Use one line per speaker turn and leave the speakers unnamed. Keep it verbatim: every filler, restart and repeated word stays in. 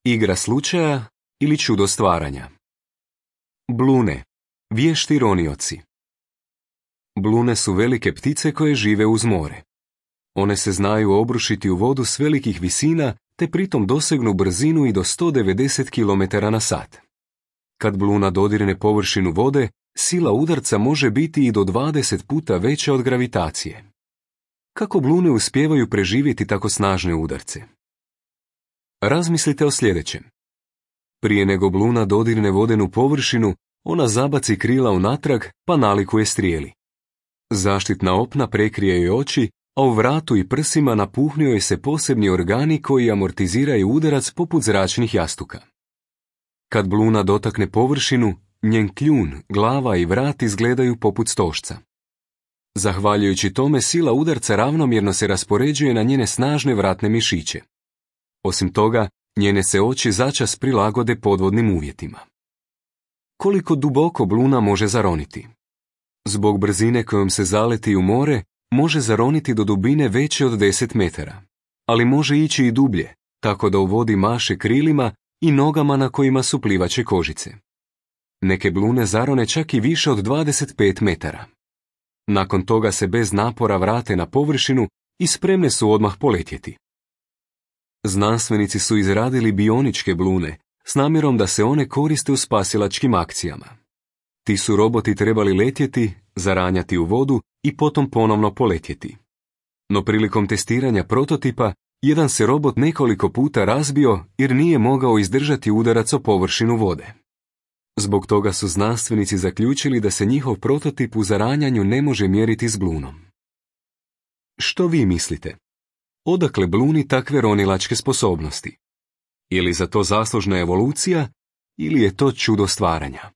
Igra slučaja ili čudo stvaranja. Blune, vješti ronioci. Blune su velike ptice koje žive uz more. One se znaju obrušiti u vodu s velikih visina te pritom dosegnu brzinu i do sto devedeset kilometara na sat. Kad bluna dodirne površinu vode, sila udarca može biti i do dvadeset puta veća od gravitacije. Kako blune uspijevaju preživjeti tako snažne udarce? Razmislite o sljedećem. Prije nego bluna dodirne vodenu površinu, ona zabaci krila unatrag pa nalikuje strijeli. Zaštitna opna prekrije joj oči, a u vratu i prsima napuhnio joj se posebni organi koji amortiziraju udarac poput zračnih jastuka. Kad bluna dotakne površinu, njen kljun, glava i vrat izgledaju poput stožca. Zahvaljujući tome sila udarca ravnomjerno se raspoređuje na njene snažne vratne mišiće. Osim toga, njene se oči začas prilagode podvodnim uvjetima. Koliko duboko bluna može zaroniti? Zbog brzine kojom se zaleti u more, može zaroniti do dubine veće od deset metara, ali može ići i dublje, tako da u vodi maše krilima i nogama na kojima su plivače kožice. Neke blune zarone čak i više od dvadeset pet metara. Nakon toga se bez napora vrate na površinu i spremne su odmah poletjeti. Znanstvenici su izradili bioničke blune s namjerom da se one koriste u spasilačkim akcijama. Ti su roboti trebali letjeti, zaranjati u vodu i potom ponovno poletjeti. No prilikom testiranja prototipa, jedan se robot nekoliko puta razbio jer nije mogao izdržati udarac o površinu vode. Zbog toga su znanstvenici zaključili da se njihov prototip u zaranjanju ne može mjeriti s blunom. Što vi mislite? Odakle bluni takve ronilačke sposobnosti? Je li za to zaslužna evolucija ili je to čudo stvaranja?